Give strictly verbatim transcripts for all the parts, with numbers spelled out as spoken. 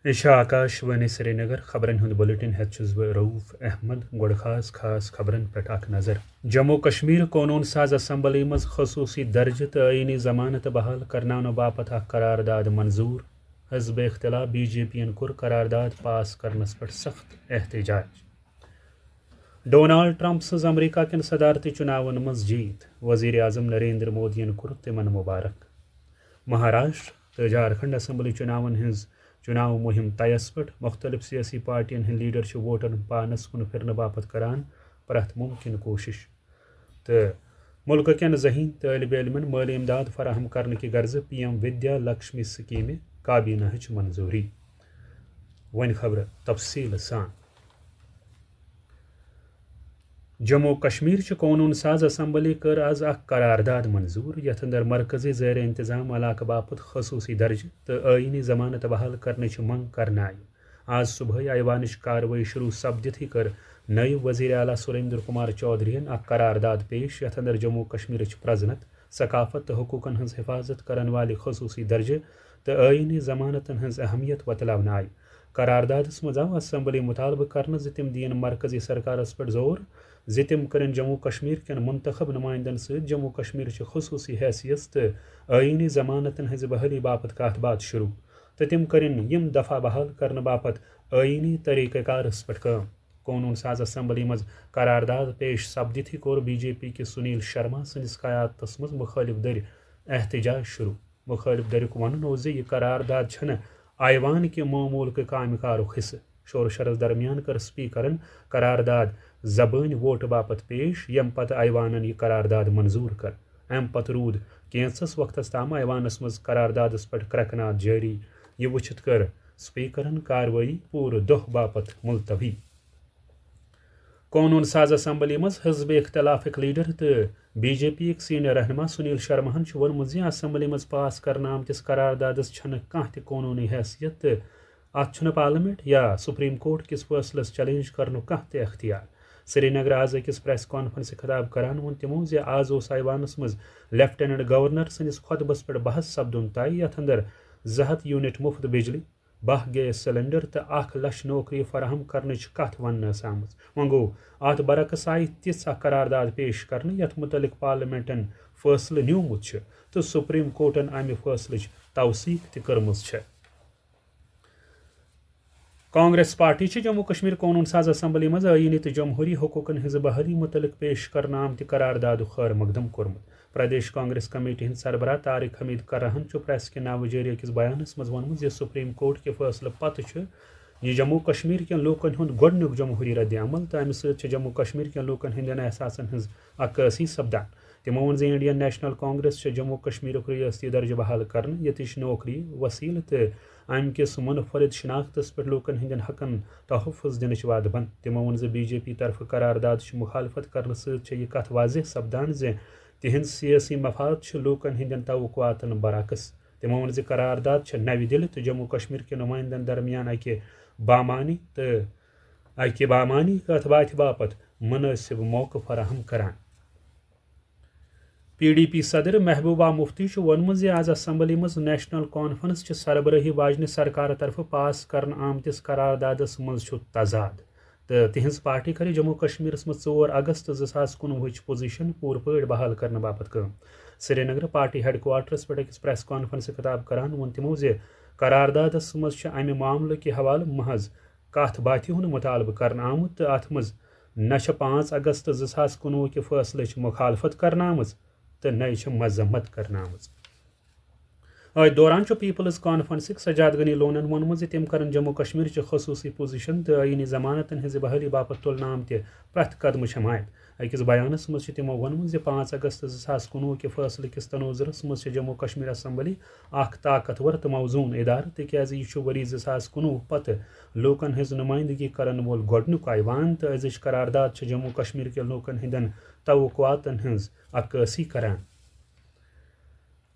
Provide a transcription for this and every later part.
یہِ چھِ آکاش وانی سرینگر۔ خبرن ہُنٛد بلیٹن ہٮ۪تھ چھُس بہٕ رؤف احمد۔ گۄڈٕ خاص خاص خبرن پٮ۪ٹھ اکھ نظر۔ جموں کشمیر قونوٗن ساز اسمبلی منٛز خصوٗصی درجہٕ تہٕ آئینی ضمانت بحال کرناونہٕ باپتھ اکھ قرارداد منظوٗر۔ حزب اختلاف بی جے پی یَن کوٚر قرارداد پاس کرنس پٮ۪ٹھ سخت احتجاج۔ ڈونالڈ ٹرمپ سٕنٛز امریکہ کٮ۪ن صدارتی چُناون منٛز جیٖت، وزیر اعظم نریندر مودیَن کوٚر تِمن مبارک۔ مہاراشٹر تہٕ جھارکھنڈ اسمبلی چُناون ہٕنٛز چُناو مُہِم طیَس پٮ۪ٹھ، مُختٔلِف سیٲسی پارٹیَن ہٕنٛدۍ لیڈر چھِ ووٹرن پانَس کُن پھِرنہٕ باپتھ کران پرٛٮ۪تھ مُمکِن کوٗشِش۔ تہٕ مُلکہٕ کٮ۪ن ذہین طٲلبہِ علمن مٲلی امداد فراہم کرنہٕ کہِ غرضہٕ پی ایم ودیا لکشمی سکیمہِ کابینہ ہٕچ منظوٗری۔ وۄنۍ خبرٕ تفصیٖل سان۔ جموں و کشمیر چہِ قونوٗن ساز اسمبلی کٔر از اکھ قرارداد منظوٗر، یتھ اندر مرکزی زیر انتظام علاقہٕ باپتھ خصوٗصی درجہٕ تہٕ آئینی ضمانت بحال کرنٕچ منگ کرنہٕ آیہِ۔ آز صبحٲے ایوانٕچ کاروٲیی شروع سپدِتھٕے کٔر نٲیِب وزیر اعلیٰ سریندر کمار چودھرین اکھ قرارداد پیش، یتھ اندر جموں و کشمیرٕچ پرزنت، ثقافت تہٕ حقوقن ہٕنٛز حفاظت کرن والہِ خصوٗصی درجہٕ تہٕ آئینی ضمانتن ہٕنٛز اہمیت وۄتلاونہٕ آیہِ۔ قراردادس منٛز آو اسمبلی مطالبہٕ کرنہٕ زِ تِم دِیِن مرکزی سرکارس پٮ۪ٹھ زور زِ تِم کرن جموں و کشمیر کٮ۪ن منتخب نمائندن سۭتۍ جموں و کشمیر چہِ خصوٗصی حیثیت تہٕ آئینی ضمانتن ہٕنٛزِ بحالی باپتھ کتھ باتھ شروع، تہٕ تِم کرن یِم دفعہ بحال کرنہٕ باپتھ آئینی طریقہ کارس پٮ۪ٹھ کٲم۔ قونوٗن ساز اسمبلی منٛز قرارداد پیش سپدِتھٕے کوٚر بی جے پی کِس سنیل شرما سٕنٛدِس قیادتس منٛز مُخٲلِف دٔرۍ احتجاج شروع۔ مُخٲلِف دٔریُک وَنُن اوس زِ یہِ قرارداد چھَنہٕ ایوان کہِ معموٗل کہِ کامہِ کارُک حصہٕ۔ شور شرس درمیان کٔر سپیکرن قرارداد زبٲنۍ ووٹہٕ باپتھ پیش، ییٚمہِ پتہٕ ایوانن یہِ قرارداد منظوٗر کٔر۔ اَمہِ پتہٕ روٗد کینٛژس وقتس تام ایوانس منٛز قراردادس پٮ۪ٹھ کرٛٮ۪کہٕ ناد جٲری۔ یہِ وٕچھِتھ کٔر سپیکرن کاروٲیی پوٗرٕ دۄہ باپتھ ملتوی۔ قونوٗن ساز اسمبلی منٛز حزب اختلافٕکۍ لیڈر تہٕ بی جے پی یِکۍ سینئر رہنما سنیل شرماہن چھُ ووٚنمُت زِ اسمبلی منٛز پاس کرنہٕ آمتِس قراردادس چھنہٕ کانٛہہ تہِ قونوٗنی حیثیت تہٕ اتھ چھُنہٕ پارلیمنٹ یا سپریم کورٹ کِس فٲصلس چیلنج کرنُک کانٛہہ تہِ اختیار۔ سرینگر آز أکِس پریس کانفرنسہِ خطاب کران ووٚن تِمو زِ آز اوس ایوانس منٛز لیفٹیننٹ گورنر سٕنٛدِس خطبس پٮ۪ٹھ بحث سپدُن طے، یتھ اندر زٕ ہتھ یونٹ مفت بجلی، باہ گیس سلنڈر تہٕ اکھ لچھ نوکری فراہم کرنٕچ کتھ وننہٕ ٲس آمٕژ۔ وۄنۍ گوٚو، اتھ برعکس آیہِ تِژھ اکھ قرارداد پیش کرنہٕ یتھ متعلق پارلیمنٹن فٲصلہٕ نیومُت چھُ تہٕ سپریم کورٹن امہِ فٲصلٕچ توثیق تہِ کٔرمٕژ چھےٚ۔ کانگریس پارٹی چھِ جموں کشمیر قونوٗن ساز اسمبلی منٛز آئینی تہٕ جمہوری حقوقن ہٕنٛزِ بحالی متعلق پیش کرنہٕ آمتہِ قراردادُک خٲر مقدم کوٚرمُت۔ پردیش کانگریس کمیٹی ہٕنٛدۍ سربراہ طارق حمید کرہن چھُ پریس کہِ ناوٕ جٲری أکِس بیانس منٛز ووٚنمُت زِ سپریم کورٹ کہِ فٲصلہٕ پتہٕ چھُ یہِ جموں کشمیر کٮ۪ن لوٗکن ہُنٛد گۄڈٕنیُک جمہوری رد عمل تہٕ امہِ سۭتۍ چھِ جموں کشمیر کٮ۪ن لوٗکن ہٕنٛدٮ۪ن احساسن ہٕنٛز عکٲسی سپدان۔ تِمو ووٚن زِ انڈین نیشنل کانگریس چھِ جموں کشمیرُک ریاستی درجہٕ بحال کرنہٕ، ییٚتِچ نوکری، وسیلہٕ تہٕ امہِ کِس منفرد شناختس پٮ۪ٹھ لوٗکن ہٕنٛدٮ۪ن حقن تحفظ دِنٕچ وعدٕ بنٛد۔ تِمو ووٚن زِ بی جے پی طرفہٕ قرارداد چھِ مخالفت کرنہٕ سۭتۍ چھےٚ یہِ کتھ واضح سپدان زِ تِہنٛد سیٲسی مفاد چھِ لوٗکن ہٕنٛدٮ۪ن توقعاتن برعکس۔ تِمو ووٚن زِ قرارداد چھےٚ نَوِ دِلہِ تہٕ جموں کشمیر کہِ نمائندن درمیان اکہِ بامانی تہٕ اکہِ بامانی کتھ باتھِ باپتھ مناسب موقعہٕ فراہم کران۔ پی ڈی پی صدر محبوبہ مفتی چھُ ووٚنمُت زِ آز اسمبلی منٛز نیشنل کانفرنس چہِ سربرٲہی واجنہِ سرکارٕ طرفہٕ پاس کرنہٕ آمتِس قراردادس منٛز چھُ تضاد تہٕ تِہنٛز پارٹی کرِ جموں کشمیرس منٛز ژور اگست زٕ ساس کُنوُہٕچ پوزیشن پوٗرٕ پٲٹھۍ بحال کرنہٕ باپتھ کٲم۔ سرینگر پارٹی ہیڈ کوارٹرس پٮ۪ٹھ أکِس پریس کانفرنسہِ خطاب کران ووٚن تِمو زِ قراردادس منٛز چھِ امہِ معاملہٕ کہِ حوالہٕ محض کتھ باتھِ ہُنٛد مطالبہٕ کرنہٕ آمُت تہٕ اتھ منٛز نہ چھِ پانٛژھ اگست زٕ ساس کُنوُہ کہِ فٲصلٕچ مخالفت کرنہٕ آمٕژ تہٕ نَے چھِ مذمت کرنہٕ آمٕژ۔ أتھۍ دوران چھُ پیپلز کانفرنسٕکۍ سجاد غنی لونن ووٚنمُت زِ تِم کرن جموں کشمیر چہِ خصوٗصی پوزیشن تہٕ آئینی ضمانتن ہٕنٛزِ بحالی باپتھ تُلنہٕ آمتہِ پرٛٮ۪تھ قدمٕچ حمایت۔ أکِس بیانس منٛز چھِ تِمو ووٚنمُت زِ پانٛژھ اگست زٕ ساس کُنوُہ کہِ فٲصلہٕ کِس تناظرس منٛز چھِ جموں کشمیر اسمبلی اکھ طاقتور تہٕ موزوٗن ادارٕ، تِکیازِ یہِ چھُ ؤری زٕ ساس کُنوُہ پتہٕ لوٗکن ہٕنٛز نُمٲیندگی کرن وول گۄڈٕنیُک ایوان تہٕ أزِچ قرارداد چھِ جموں کشمیر کٮ۪ن لوٗکن ہٕنٛدٮ۪ن توقعاتن ہٕنٛز عکٲسی کران۔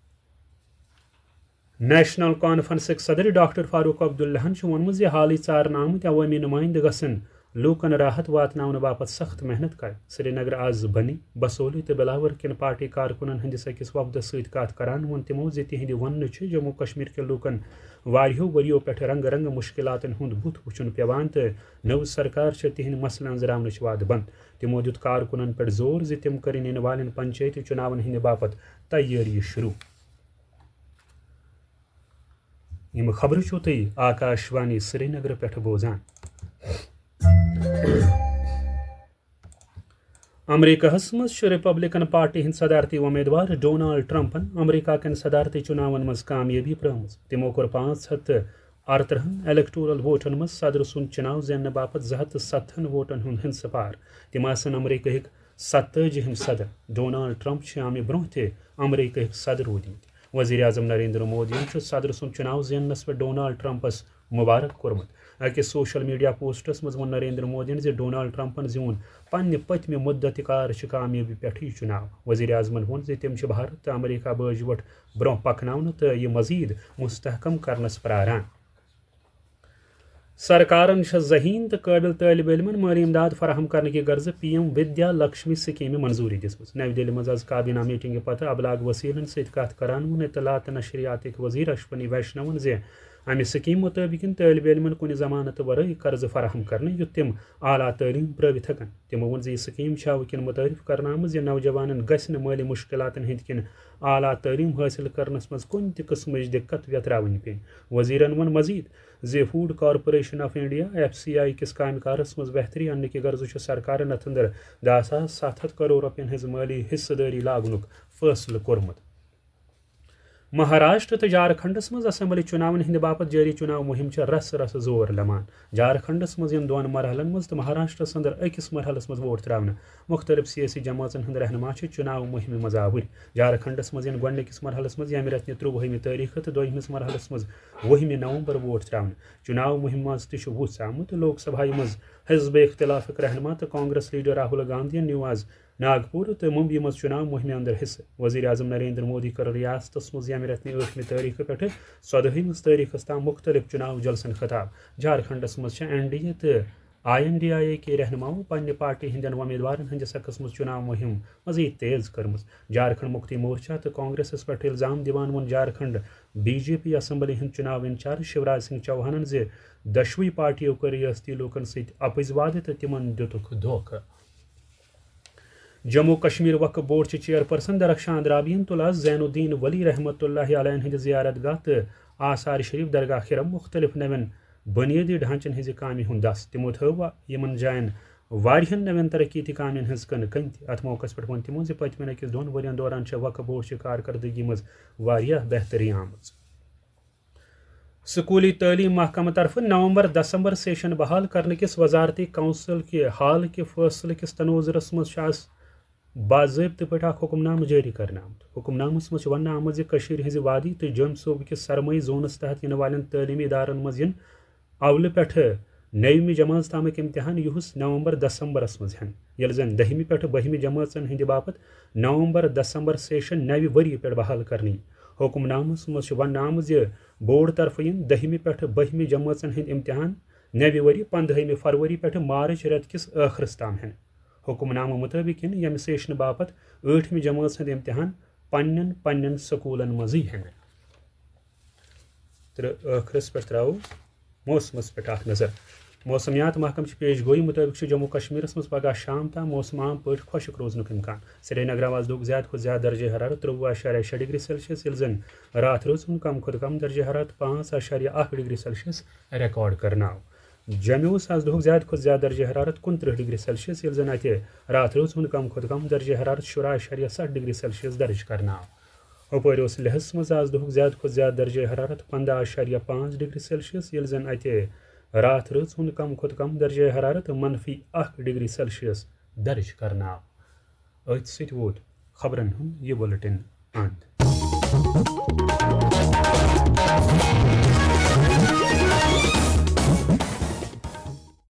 نیشنل کانفرنسٕکۍ صدر ڈاکٹر فاروق عبداللہن چھُ ووٚنمُت زِ حالٕے ژارنہٕ آمٕتۍ عوٲمی نُمٲیندٕ گژھن لوٗکن راحت واتناونہٕ باپتھ سخت محنت کرِ۔ سرینگر آز بنی بسولی تہٕ بلاور کٮ۪ن پارٹی کارکُنن ہٕنٛدِس أکِس وفدس سۭتۍ کتھ کران ووٚن تِمو زِ تِہنٛدِ وننہٕ چھِ جموں کشمیر کٮ۪ن لوٗکن واریاہو ؤرِیو پٮ۪ٹھ رنگہٕ رنگہٕ مُشکلاتن ہُنٛد بُتھ وُچھُن پٮ۪وان تہٕ نٔو سرکار چھِ تِہنٛدۍ مسلہٕ أنٛزراونٕچ وعدٕ بنٛد۔ تِمو دیُت کارکُنن پٮ۪ٹھ زور زِ تِم کٔرِن یِنہٕ والٮ۪ن پنچٲیتی چُناون ہٕنٛدِ باپتھ تیٲری شروٗع۔ یِم خبرٕ چھِو تُہۍ آکاش وانی سرینگرٕ پٮ۪ٹھ بوزان۔ امریکہس منٛز چھُ ریپبلکن پارٹی ہٕنٛدۍ صدارتی امیدوار ڈونالڈ ٹرمپن امریکہ کٮ۪ن صدارتی چُناون منٛز کامیٲبی پرٛٲومٕژ۔ تِمو کوٚر پانٛژھ ہتھ تہٕ ارترٕہن الیکٹورل ووٹن منٛز صدر سُنٛد چُناو زیننہٕ باپتھ زٕ ہتھ تہٕ ستتھن ووٹن ہُنٛد ہنسہٕ پار۔ تِم آسن امریکہٕکۍ ستتٲجِہِم صدر۔ ڈونالڈ ٹرمپ چھِ امہِ برٛونٛہہ تہِ امریکہٕکۍ صدر روٗدمٕتۍ۔ وزیر اعظم نریندر مودیَن چھُ صدر سُنٛد چُناو زیننس پٮ۪ٹھ ڈونالڈ ٹرمپس مبارک کوٚرمُت۔ أکِس سوشل میڈیا پوسٹس منٛز ووٚن نریندر مودیَن زِ ڈونالڈ ٹرمپن زیوٗن پننہِ پٔتمہِ مدت کار چہِ کامیٲبی پٮ۪ٹھ یہِ چُناو۔ وزیر اعظمن ووٚن زِ تِم چھِ بھارت تہٕ امریکہ بٲجہِ وۄٹھ برٛونٛہہ پکناونہٕ تہٕ یہِ مزید مستحکم کرنس پراران۔ سرکارن چھےٚ ذہین تہٕ قٲبل طٲلب علمن مٲلی امداد فراہم کرنہٕ کہِ غرضہٕ پی ایم ودیا لکشمی سکیمہِ منظوٗری دِژمٕژ۔ نَوِ دِلہِ منٛز آز کابینہ میٹنگہِ پتہٕ ابلاغ وسیلن سۭتۍ کتھ کران ووٚن اطلاعات تہٕ نشریاتٕکۍ وزیر اشونی ویشنون زِ امہِ سکیمہِ مُطٲبق یِن طٲلب علمن کُنہِ ضمانتہٕ ورٲے قرضہٕ فراہم کرنہٕ، یُتھ تِم اعلیٰ تعلیٖم پرٲوِتھ ہٮ۪کن۔ تِمو ووٚن زِ یہِ سکیٖم چھےٚ وٕنکٮ۪ن متعارف کرنہٕ آمٕژ زِ نوجوانن گژھِ نہٕ مٲلی مُشکلاتن ہٕنٛدۍ کِنۍ اعلیٰ تعلیٖم حٲصِل کرنس منٛز کُنہِ تہِ قٕسمٕچ دِقت ویتراوٕنۍ پیٚنۍ۔ وزیرن ووٚن مزید زِ food corporation of India, F C I, کِس کامہِ کارس منٛز بہتری اننہٕ کہِ غرضہٕ چھُ سرکارن اتھ اندر دَہ ساس ستھ ہتھ کرور رۄپین ہٕنٛز مٲلی حصہٕ دٲری لاگنُک فٲصلہٕ کوٚرمُت۔ مہاراشٹر تہٕ جھارکھنڈس منٛز اسمبلی چُناون ہٕنٛدِ باپتھ جٲری چُناو مُہِم چھےٚ رسہٕ رسہٕ زور لمان۔ جھارکھنڈس منٛز یِن دۄن مرحلن منٛز تہٕ مہاراشٹرس اندر أکِس مرحلس منٛز ووٹ تراونہٕ۔ مُختٔلِف سیٲسی جمٲژن ہٕنٛدۍ رہنما چھِ چُناو مُہِمہِ منٛز آوٕرۍ۔ جھارکھنڈس منٛز یِن گۄڈٕنِکِس مرحلس منٛز ییٚمہِ رٮ۪تہٕ نہِ ترٛۆوُہمہِ تٲریخہٕ تہٕ دوٚیمِس مرحلس منٛز وُہمہِ نومبر ووٹ تراونہٕ۔ چُناو مُہِمہِ منٛز تہِ چھُ وُژھ آمُت۔ لوک سبھایہِ منٛز حزب اختلافٕکۍ رہنما تہٕ کانگریس لیڈر راہل گاندھین نیوٗ آز ناگپور تہٕ ممبیہِ منٛز چُناو مُہِمہِ اندر حصہٕ۔ وزیر اعظم نریندر مودی کٔر ریاستس منٛز ییٚمہِ رٮ۪تہٕ نہِ ٲٹھمہِ تٲریخہٕ پٮ۪ٹھٕ ژۄدہمِس تٲریخس تام مُختٔلِف چُناو جلسن خطاب۔ جھارکھنڈس منٛز چھےٚ این ڈی اے تہٕ I N D I A کے رہنماو پننہِ پارٹی ہٕنٛدٮ۪ن امیدوارن ہٕنٛدِس حقس منٛز چُناو مُہِم مزید تیز کٔرمٕژ۔ جھارکھنڈ مُکتی مورچہ تہٕ کانگریسس پٮ۪ٹھ الزام دِوان ووٚن Jharkhand B J P assembly ہٕنٛدۍ چُناو انچارج شیوراج سنگھ چوہانن زِ دۄشوٕے پارٹیو کٔر ریاستی لوٗکن سۭتۍ اپٕزۍ وعدٕ تہٕ تِمن دِتُکھ دھوکہٕ۔ جموں کشمیر وقف بورڈ چہِ چیئرپرسن درخشان درابین تُل آز زین الدین ولی رحمتہ اللہ علیہ ہٕنٛدِ زیارت گاہ تہٕ آثار شریف درگاہ خرم مُختٔلِف نوٮ۪ن بُنیٲدی ڈھانچن ہٕنٛزِ کامہِ ہُنٛد دَس۔ تِمو تھٲو یِمَن جایَن واریاہَن نوٮ۪ن ترقیتی کامٮ۪ن ہٕنٛز کٕنہٕ کٔنۍ تہِ۔ اَتھ موقعَس پٮ۪ٹھ ووٚن تِمو زِ پٔتمٮ۪ن أکِس دۄن ؤرین دوران چھےٚ وقف بورڈ چہِ کارکردگی منٛز واریاہ بہتری آمٕژ۔ سکوٗلی تعلیٖم محکمہٕ طرفہٕ نومبر دسمبر سیشن بحال کرنہٕ کِس وزارتی کونسل کہِ حال کہِ فٲصلہٕ کِس تناظرس منٛز چھُ آز باضٲبطہٕ پٲٹھۍ اکھ حکم نامہٕ جٲری کرنہٕ آمُت۔ حکم نامس منٛز چھُ وننہٕ آمُت زِ کٔشیٖر ہٕنٛزِ وادی تہٕ جوٚمۍ صوبہٕ کِس سرمٲیی زونس تحت یِنہٕ والٮ۪ن تعلیٖمی ادارن منٛز یِن اولہٕ پٮ۪ٹھٕ نٔیمہِ جمٲژ تامٕکۍ امتحان، یُہُس نومبر دسمبرس منٛز ہٮ۪نہٕ، ییٚلہِ زن دٔہمہِ پٮ۪ٹھٕ بٔہمہِ جمٲژن ہٕنٛدِ باپتھ نومبر دسمبر سیشن نوِ ؤری پٮ۪ٹھ بحال کرنہٕ یِیہِ۔ حکم نامس منٛز چھُ وننہٕ آمُت زِ بورڈ طرفہٕ یِن دٔہمہِ پٮ۪ٹھٕ بٔہمہِ جمٲژن ہٕنٛدۍ امتحان نوِ ؤری پندہمہِ فروری پٮ۪ٹھٕ مارچ رٮ۪تہٕ کِس ٲخرس تام ہٮ۪نہٕ۔ حکم نامہٕ مُطٲبِق یِن ییٚمہِ سیشنہٕ باپتھ ٲٹھمہِ جمٲژ ہُنٛد امتحان پننٮ۪ن پننٮ۪ن سکوٗلن منٛزٕے ہٮ۪نہٕ۔ تہٕ ٲخرس پٮ۪ٹھ ترٛاوو موسمس پٮ۪ٹھ اکھ نظر۔ موسمیات محکمہٕ چہِ پیش گویی مُطٲبِق چھُ جموں کشمیرس منٛز پگاہ شام تام موسم عام پٲٹھۍ خۄشک روزنُک امکان۔ سرینگرٕ آز دۄہُک زیادٕ کھۄتہٕ زیادٕ درجہ حرارت ترٛۆوُہ اعشاریہ شےٚ ڈگری سیلسیس، ییٚلہِ زن راتھ رٲژ ہُنٛد کم کھۄتہٕ کم درجہ حرارت پانٛژھ اعشاریہ اکھ ڈگری سیلسیس ریکارڈ کرنہٕ آو۔ جوٚمہِ اوس آز دۄہُک زیادٕ کھۄتہٕ زیادٕ درجہ حرارت کُنترٕہ ڈگری سیلسیس، ییٚلہِ زن اتہِ راتھ رٲژ ہُنٛد کم کھۄتہٕ کم درجہ حرارت شُراہ اعشاریہ ستھ ڈگری سیلسیس درج کرنہٕ آو۔ ہُپٲرۍ اوس لیہس منٛز آز دۄہُک زیادٕ کھۄتہٕ زیادٕ درجہ حرارت پنداہ اعشاریہ پانٛژھ ڈگری سیلسیس، ییٚلہِ زن اتہِ راتھ رٲژ ہُنٛد کم کھۄتہٕ کم درجہ حرارت منفی اکھ ڈگری سیلسیس درج کرنہٕ آو۔ أتھۍ سۭتۍ ووت خبرن ہُنٛد یہِ بُلٹن اند۔